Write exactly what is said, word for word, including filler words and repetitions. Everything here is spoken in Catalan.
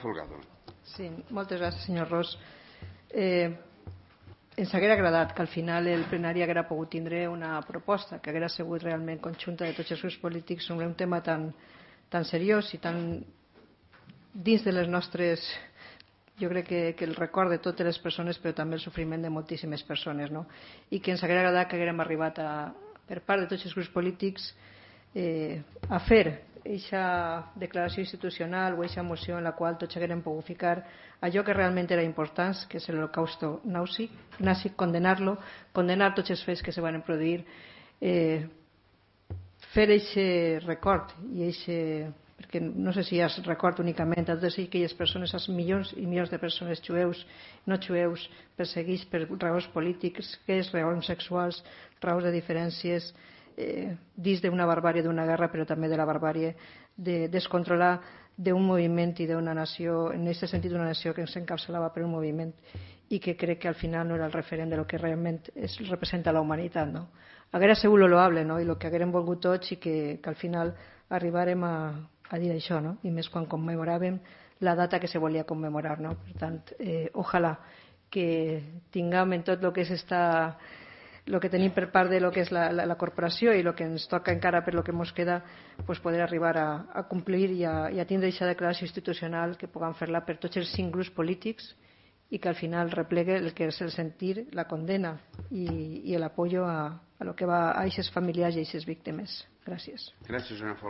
Folgado. Sí, moltes gràcies, senyor Ros. Eh, ens hauria agradat que al final el plenari haguera pogut tindre una proposta que haguera sigut realment conjunta de tots els grups polítics sobre un tema tan, tan seriós i tan dins de les nostres, jo crec que, que el record de totes les persones, però també el sofriment de moltíssimes persones, no? I que ens hauria agradat que haguérem arribat a, per part de tots els grups polítics eh, a fer aquesta declaració institucional o aquesta moció en la qual tots haguérem pogut ficar allò que realment era important, que és l'holocausto nazi, nazi condenar-lo, condenar tots els fets que se van produir, eh, fer aquest record i aquest, perquè no sé si és record únicament a totes aquelles persones, als milions i milions de persones jueus, no jueus, perseguits per raons polítics, que és raons sexuals, raons de diferències, eh, dins d'una barbàrie d'una guerra, però també de la barbàrie de descontrolar d'un moviment i d'una nació, en aquest sentit una nació que s'encapçalava per un moviment i que crec que al final no era el referent de lo que realment es representa la humanitat, no? Haguera sigut lo loable, no? I el que haguérem volgut tots i que, que al final arribarem a, a dir això, no? I més quan commemoràvem la data que se volia commemorar, no? Per tant, eh, ojalà que tinguem en tot el que és esta el que tenim per part de lo que és la, la, la corporació i el que ens toca encara per lo que ens queda, pues poder arribar a, a complir i a, i a tindre aquesta declaració institucional que puguem fer-la per tots els cinc grups polítics i que al final replegue el que és el sentir, la condena i, i el apoyo a, a lo que va a aquests familiars i a aquestes víctimes. Gràcies. Gràcies, senyor Folgado.